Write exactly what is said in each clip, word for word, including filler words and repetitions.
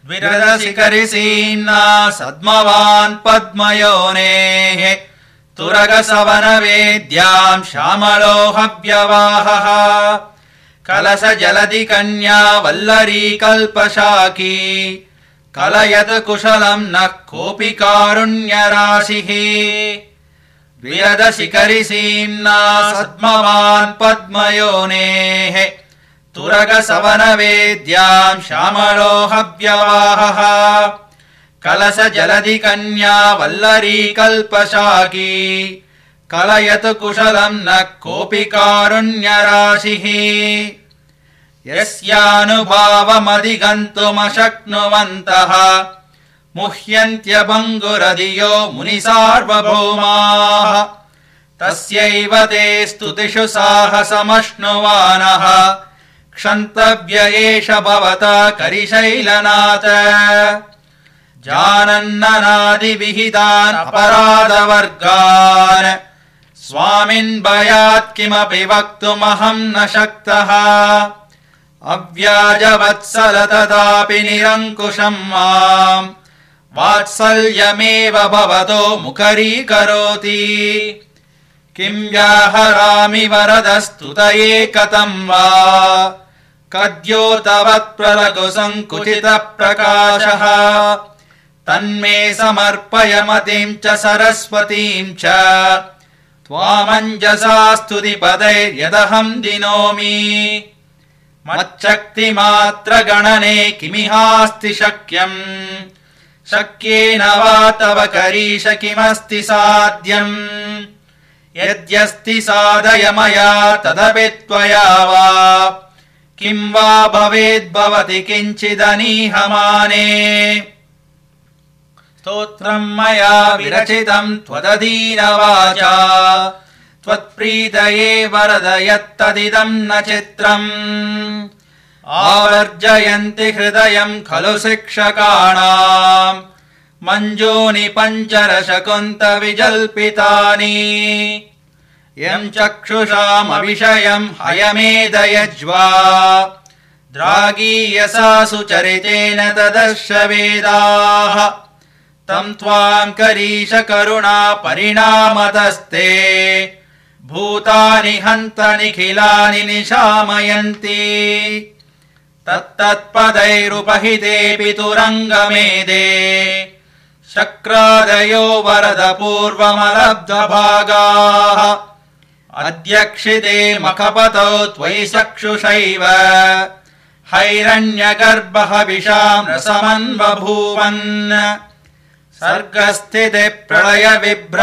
द्विरदशिखरिसीम्ना सद्मवान् पद्मयोनेः तुरगसवनवेद्याम् श्यामलोहव्यवाहः कलश जलधि कन्या वल्लरी कल्पशाकी कलयतु कुशलम् नः कोऽपि कारुण्यराशिः द्विरदशिखरिसीम्ना सद्मवान् पद्मयोनेः तुरगसवनवेद्याम् श्यामलोहव्यवाहः कलश जलधि कन्या वल्लरी कल्पशाकी कलयतु कुशलम् नः कोऽपि कारुण्यराशिः यस्यानुभावमधिगन्तुमशक्नुवन्तः मुह्यन्त्यभङ्गुरधियो मुनिसार्वभौमाः तस्यैव ते स्तुतिषु साहसमश्नुवानः क्षन्तव्य एष भवता करिशैलनाथ जानन्ननादिविहितान् अपराधवर्गान् स्वामिन् भयात् किमपि वक्तुमहम् न शक्तः अव्याजवत्सल तथापि निरङ्कुशम् माम् वात्सल्यमेव भवतो मुखरीकरोति किं व्याहरामि वरदस्तुतये कथम् वा कद्योतवत्प्रलघुसङ्कुचितप्रकाशः तन्मे समर्पय मतिम् च सरस्वतीम् च त्वामञ्जसा स्तुतिपदैर्यदहम् दिनोमि मच्छक्तिमात्रगणने किमिहास्ति शक्यम् शक्येन वा तव करीश किमस्ति साध्यम् यद्यस्ति साधय मया तदपि त्वया वा किं वा भवेद्भवति किञ्चिदनीहमाने स्तोत्रम् मया विरचितम् त्वदधीनवाचा त्वत्प्रीतये वरद यत्तदिदम् न चित्रम् आवर्जयन्ति हृदयम् खलु शिक्षकाणाम् मञ्जूनि पञ्चरशकुन्त विजल्पितानि यम् चक्षुषामविषयम् हयमेदयज्वा द्रागीयसा सुचरितेन तदर्श वेदाः तम् त्वाम् करीश करुणा परिणामतस्ते भूतानि हन्त निखिलानि निशामयन्ति तत्तत्पदैरुपहितेऽपि तुरङ्गमेदे शक्रादयो वरद पूर्वमलब्धभागाः अध्यक्षिते मखपतौ त्वयि चक्षुषैव हैरण्यगर्भः विशाम् रसमन्वभूवन् सर्गस्थिते प्रलय विभ्रमनाटिकायाम्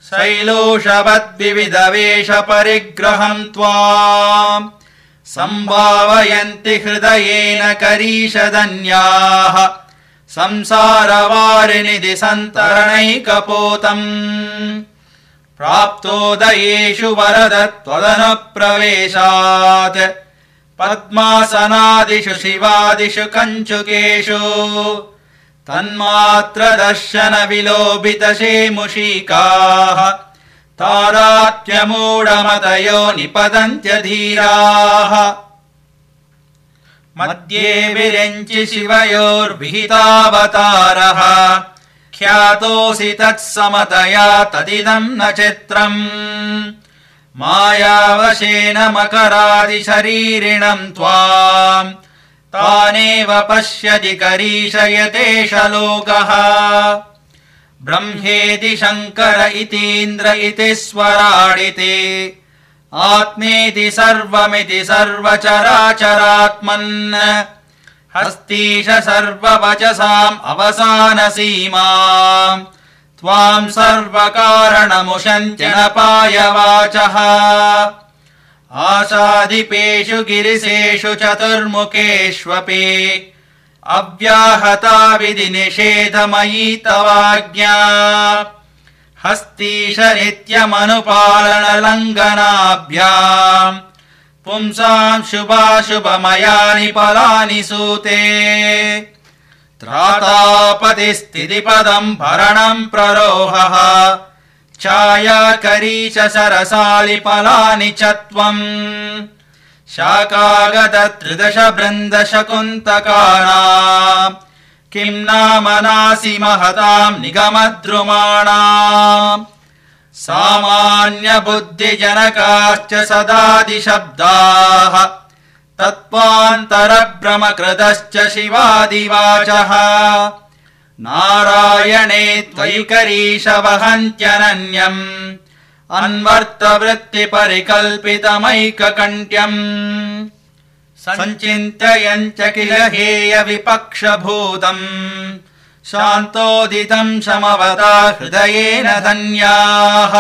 शैलोषवद्विविधवेष परिग्रहम् त्वाम् सम्भावयन्ति हृदयेन करीशदन्याः संसारवारिनिधि सन्तरणैकपोतम् प्राप्तोदयेषु वरद त्वदनुप्रवेशात् पद्मासनादिषु शिवादिषु कञ्चुकेषु तन्मात्र दर्शन विलोभितशेमुषीकाः तादात्म्यमूढमतयो निपतन्त्यधीराः मध्ये विरञ्चि शिवयोर्विहितावतारः ख्यातोऽसि तत्समतया तदिदम् न चित्रम् मायावशेन मकरादिशरीरिणम् त्वाम् तानेव पश्यति करीशयतेष लोकः ब्रह्मेति शङ्कर इतीन्द्र इति स्वराडिति आत्मेति सर्वमिति सर्वचराचरात्मन् हस्तीश सर्ववचसाम् अवसानसीमाम् त्वाम् सर्वकारणमुशन्त्यनपायवाचः आशाधिपेषु गिरिसेषु चतुर्मुखेष्वपि अव्याहता विधि निषेधमयी तवाज्ञा हस्तीश नित्यमनुपालनलङ्घनाभ्याम् पुंसाम् शुभाशुभमयानि फलानि सूते त्रातापतिस्थितिपदम् भरणम् प्ररोहः छाया करीश सरसालिफलानि च त्वम् शाकागत त्रिदश बृन्दशकुन्तकानाम् किं नाम नासि महताम् निगमद्रुमाणाम् सामान्यबुद्धिजनकाश्च सदादिशब्दाः तत्त्वान्तरभ्रमकृतश्च शिवादिवाचः नारायणे त्वयि वहन्त्यनन्यम् अन्वर्थवृत्तिपरिकल्पितमैककण्ठ्यम् सञ्चिन्तयन् च किल हेय विपक्षभूतम् शान्तोदितम् समवता हृदयेन धन्याः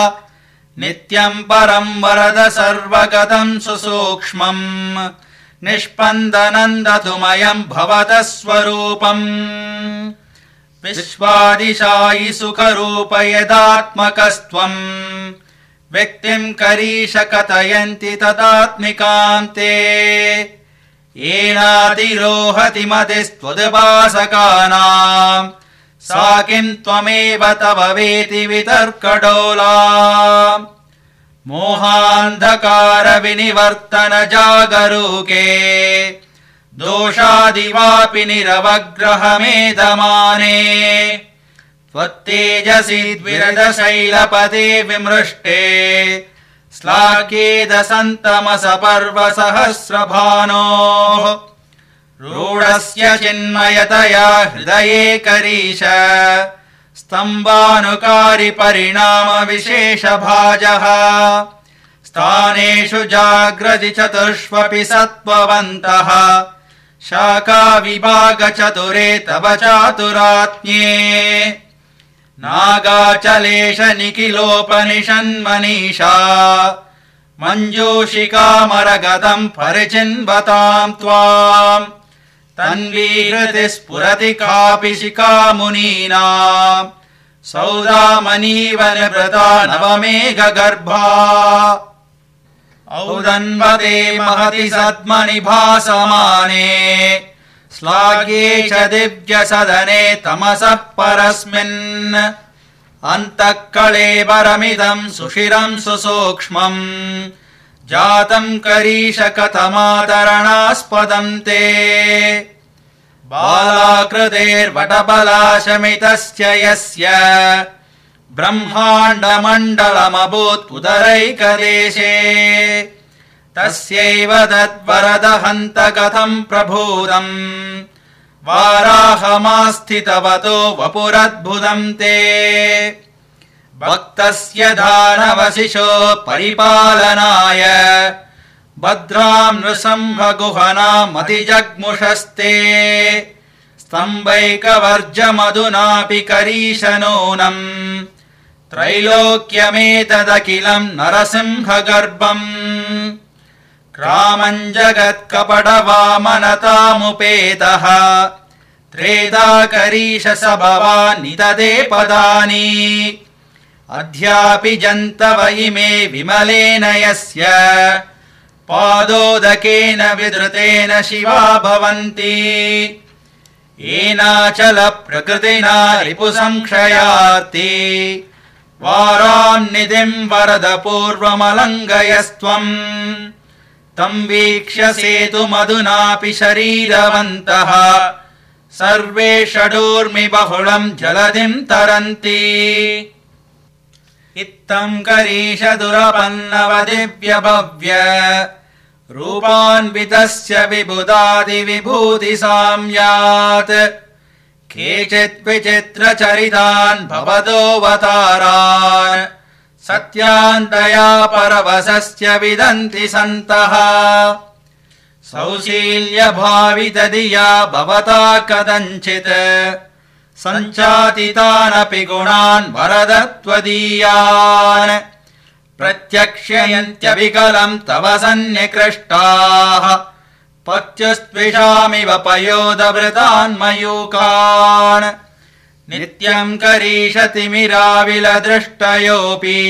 नित्यम् परम् वरद सर्वगतम् सुसूक्ष्मम् निष्पन्दनम् दतुमयम् भवतः स्वरूपम् विश्वादिशायि सुखरूप यदात्मकस्त्वम् व्यक्तिम् करीश कथयन्ति तदात्मिकान्ते येनातिरोहति मतिस्त्वदुपासकानाम् सा किम् त्वमेव तव वेति वितर्कडोला मोहान्धकार विनिवर्तन जागरूके दोषादिवापि निरवग्रहमेधमाने त्वत्तेजसि द्विरदशैलपदे विमृष्टे श्लाघ्येदसन्तमसपर्वसहस्रभानोः रूढस्य चिन्मयतया हृदये करीश स्तम्भानुकारि परिणाम विशेषभाजः स्थानेषु जाग्रति चतुष्वपि सत्त्ववन्तः शाखा विभाग चतुरे तव चातुरात्म्ये नागाचलेश निखिलोपनिषन्मनीषा मञ्जूषिकामरगतम् परिचिन्वताम् त्वाम् तन्वीहृति स्फुरति कापि शिखा मुनीनाम् सौदामनीव निवृता नवमेघगर्भा औदन्वते महति सद्मनि भासमाने श्लाघ्ये च दिव्यसदने तमसः परस्मिन् अन्तः कळेबरमिदम् सुशिरम् सुसूक्ष्मम् जातम् करीश कथमादरणास्पदम् ते बालाकृतेर्वटबलाशमितस्य यस्य ब्रह्माण्डमण्डलमभूत् उदरैकदेशे तस्यैव तद्वरदहन्त कथम् प्रभूतम् वाराहमास्थितवतो वपुरद्भुतम् ते भक्तस्य दानवशिशो परिपालनाय भद्राम् नृसिंहगुहनामतिजग्मुषस्ते स्तम्भैकवर्जमधुनापि करीश नूनम् त्रैलोक्यमेतदखिलम् नरसिंहगर्भम् क्रामम् जगत्कपटवामनतामुपेतः त्रेधा करीश स भवानि तदे पदानि अद्यापि जन्तव इमे विमलेन यस्य पादोदकेन विधृतेन शिवा भवन्ति येनाचल प्रकृतिना रिपुसंक्षयार्ति वाराम् निधिम् वरद पूर्वमलङ्घयस्त्वम् तम् वीक्ष्य सेतुमधुनापि शरीरवन्तः सर्वे षडूर्मि बहुलम् जलधिम् तरन्ति इत्थम् करीश दुरपन्नव दिव्यभव्य रूपान्वितस्य विबुधादिविभूति साम्यात् केचित् विचित्रचरितान् भवतोऽवतारान् सत्यान्तया परवशस्य विदन्ति सन्तः सौशील्यभावितधिया भवता कथञ्चित् सञ्चातितानपि गुणान् वरदत्वदीयान् प्रत्यक्ष्ययन्त्यविकलम् तव सन्निकृष्टाः पत्युस्त्विषामिव पयोदवृतान्मयूकान् नित्यम् करीशतिमिराविलदृष्टयोऽपि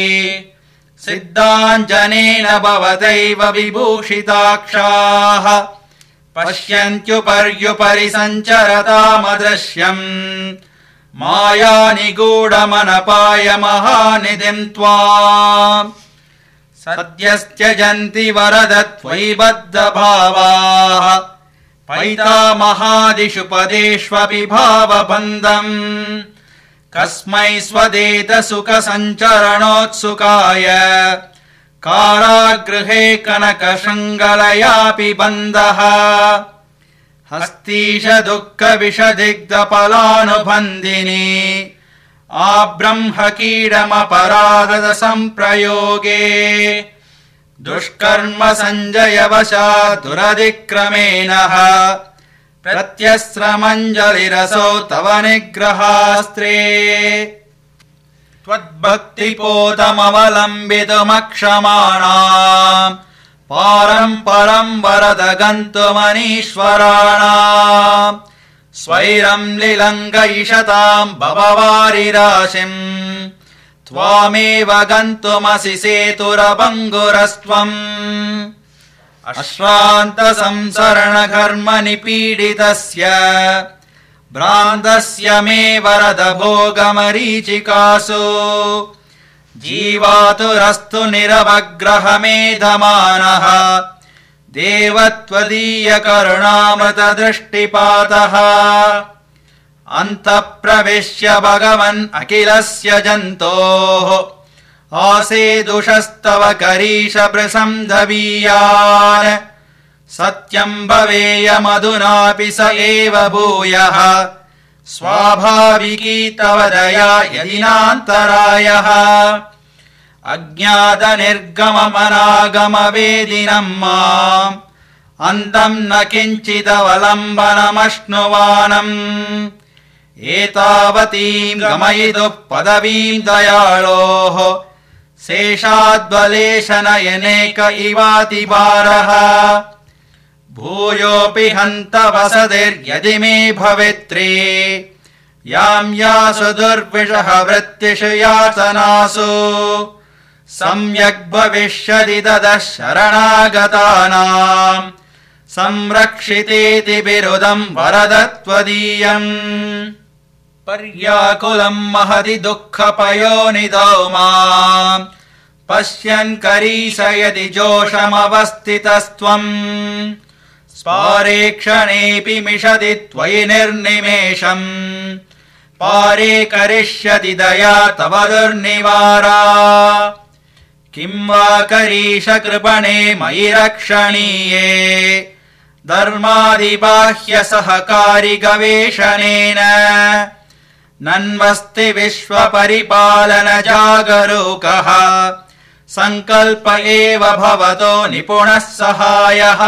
सिद्धाञ्जनेन भवतैव विभूषिताक्षाः पश्यन्त्युपर्युपरि सञ्चरतामदृश्यम् मायानिगूढमनपाय महानिधिम् त्वाम् सद्यस्त्यजन्ति वरद त्वयि बद्धभावाः पैतामहादिषु पदेष्वपि भावबन्धम् कस्मै स्वदेत सुख सञ्चरणोत्सुकाय कारागृहे कनकशृङ्गलयापि बन्धः हस्तीश दुःख विषदिग्धफलानुबन्धिनी आब्रह्मकीडमपराधद सम्प्रयोगे दुष्कर्म सञ्जयवशात् दुरतिक्रमेण प्रत्यस्रमञ्जलिरसौ तव निग्रहास्त्रे त्वद्भक्तिपोतमवलम्बितुमक्षमाणाम् पारम् परम् वरद गन्तुमनीश्वराणाम् स्वैरम् लिलङ्गयिषताम् भववारिराशिम् त्वामेव गन्तुमसि सेतुरभङ्गुरस्त्वम् अश्रान्त संसरणघर्म निपीडितस्य भ्रान्तस्य मे वरद भोगमरीचिकासु जीवातुरस्तु निरवग्रहमेधमानः देवत्वदीय करुणामृतदृष्टिपातः अन्तःप्रविश्य भगवन् अखिलस्य जन्तोः आसेदुषस्तव करीश प्रसंधवीयान् सत्यम् भवेयमधुनापि स एव भूयः स्वाभाविकी तव दया यदि नान्तरायः अज्ञात निर्गममनागमवेदिनम् माम् अन्तम् न किञ्चिदवलम्बनमश्नुवानम् एतावतीम् गमयितुः पदवीम् दयाळोः शेषाद्वलेशनयनेक इवातिभारः भूयोऽपि हन्त वसतिर्यदि मे भवेत्रे याम् यासु दुर्विषः वृत्तिषु यातनासु सम्यग् भविष्यति ततः शरणागतानाम् संरक्षितेति बिरुदम् वरद त्वदीयम् पर्याकुलम् महति दुःखपयोनिधौ माम् पश्यन् करीशयति जोषमवस्थितस्त्वम् स्पारे क्षणेऽपि मिषति त्वयि निर्निमेषम् पारे करिष्यति दया तव दुर्निवारा किम् वा करीश कृपणे मयि रक्षणीये धर्मादिबाह्य सहकारि गवेषणेन नन्वस्ति विश्वपरिपालन जागरूकः सङ्कल्प एव भवतो निपुणः सहायः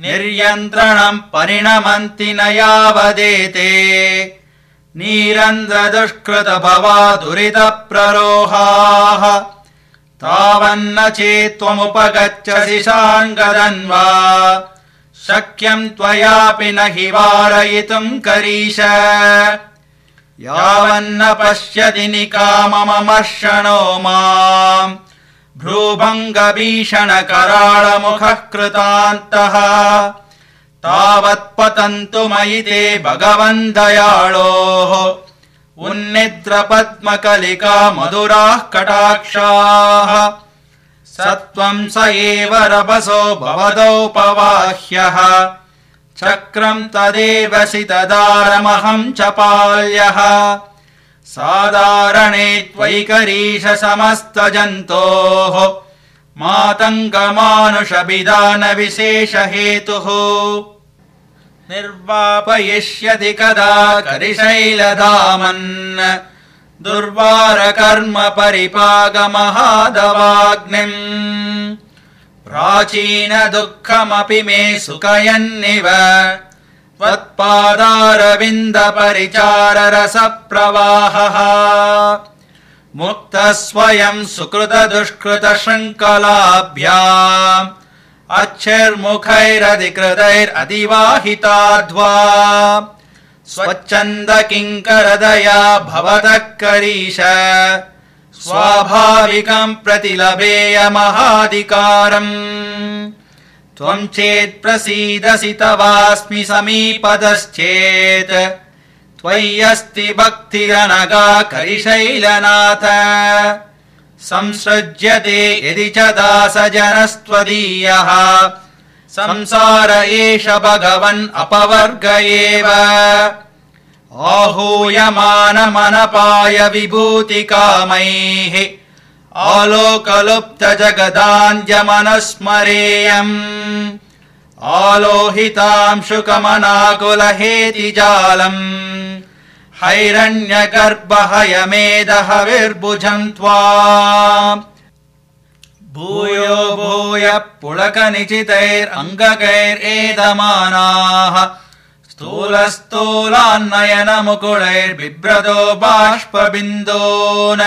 निर्यन्त्रणम् परिणमन्ति न यावदेते नीरन्ध्र दुष्कृत भवा दुरित प्ररोहाः तावन्न चेत्त्वमुपगच्छसि शाङ्गदन्वा शक्यम् त्वयापि न हि वारयितुम् करीश यावन्न पश्यति निकामममर्षणो माम् भ्रूभङ्गभीषण कराळमुखः कृतान्तः तावत्पतन्तु मयि ते भगवन् दयाळोः उन्निद्र पद्मकलिका मधुराः कटाक्षाः सत्त्वम् स एव रभसो भवदोपवाह्यः चक्रम् तदेव सितदारमहम् च पाल्यः साधारणे त्वयि करीश समस्तजन्तोः मातङ्गमानुषभिधान विशेष हेतुः निर्वापयिष्यति कदा करिशैलधामन् दुर्वार कर्म परिपागमहादवाग्निम् प्राचीन दुःखमपि मे सुखयन्निव त्वत्पादारविन्द परिचार रस प्रवाहः मुक्तः स्वयं सुकृत दुष्कृत शृङ्खलाभ्याम् अच्छैर्मुखैरधिकृतैरतिवाहिताध्वा स्वच्छन्द किङ्करदया भवतः करीश स्वाभाविकम् प्रतिलभेयमहाधिकारम् त्वम् चेत् प्रसीदसि तवास्मि समीपतश्चेत् त्वय्यस्ति भक्तिरनगा करिशैलनाथ संसृज्यते यदि च दासजनस्त्वदीयः संसार एष भगवन् अपवर्ग एव आहूयमानमनपाय विभूतिकामैः आलोकलुप्त जगदाञ्जमनुस्मरेयम् आलोहितांशुकमनाकुलहेतिजालम् हैरण्यगर्भहयमेदहविर्भुजम् त्वाम् भूयो भूय पुलकनिचितैरङ्गकैरेदमानाः स्थूलस्थूलान्नयनमुकुलैर्बिभ्रतो बाष्पबिन्दून्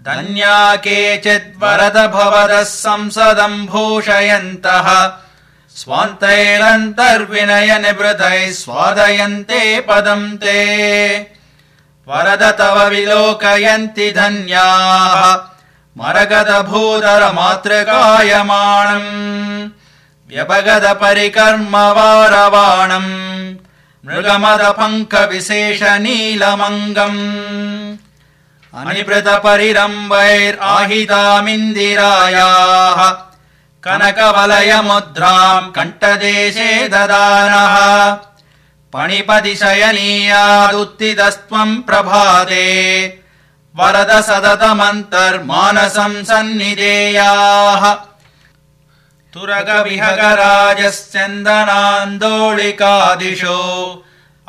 धन्या केचिद्वरद भवतः संसदम् भूषयन्तः स्वान्तैरन्तर्विनय निवृतैः स्वादयन्ते पदम् ते वरद तव विलोकयन्ति धन्याः मरगद भूधर मातृकायमाणम् व्यपगद परिकर्म वारवाणम् मृगमद पङ्क विशेष नीलमङ्गम् अनिभृत परिरम्भैराहितामिन्दिरायाः कनकवलय मुद्राम् कण्ठदेशे ददानः पणिपति शयनीयादुत्थितस्त्वम् प्रभाते वरद सततमन्तर्मानसम् सन्निधेयाः तुरगविहगराजश्चन्दनान्दोलिकादिशो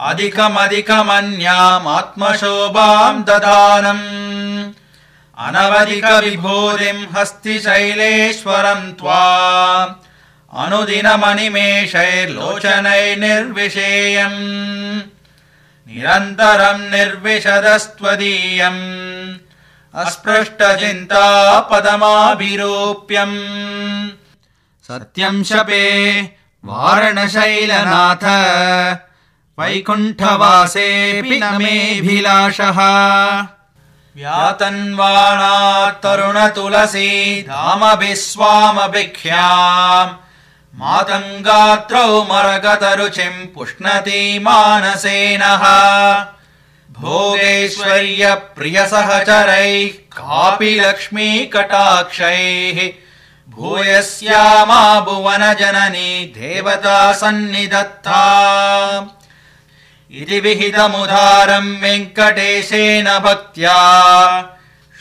अधिकमधिकमन्यामात्मशोभाम् ददानम् अनवधिक विभूतिम् हस्तिशैलेश्वरम् त्वाम् अनुदिनमनिमेषैर्लोचनैर्निर्विशेयम् निरन्तरम् निर्विशदस्त्वदीयम् अस्पृष्टचिन्ता पदमाभिरूप्यम् सत्यम् शपे वारणशैलनाथ वैकुण्ठवासेऽपि न मेऽभिलाषः व्यातन्वाणात् तरुणतुलसी धामभिस्वामभिख्याम् मातङ्गात्रौ मरगतरुचिम् पुष्णति मानसेनः भोगैश्वर्यप्रियसहचरैः कापि लक्ष्मी कटाक्षैः भूयस्यामा भुवनजननी देवता सन्निधत्ता इति विहितमुदारम् वेङ्कटेशेन भक्त्या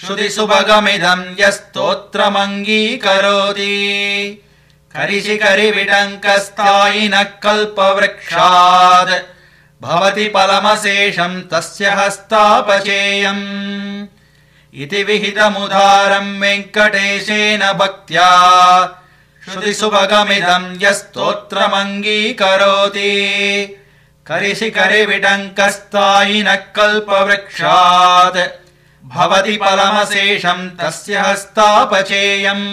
श्रुतिसुभगमिदम् यस्तोत्रमङ्गीकरोति करिशिखरिविटङ्कस्थायिनः कल्पवृक्षात् भवति फलमशेषम् तस्य हस्तापचेयम् इति विहितमुदारम् वेङ्कटेशेन भक्त्या श्रुतिसुभगमिदम् यस्तोत्रमङ्गीकरोति करिशिखरिविटङ्कस्थायिनः कल्पवृक्षात् भवति फलमशेषम् तस्य हस्तापचेयम्।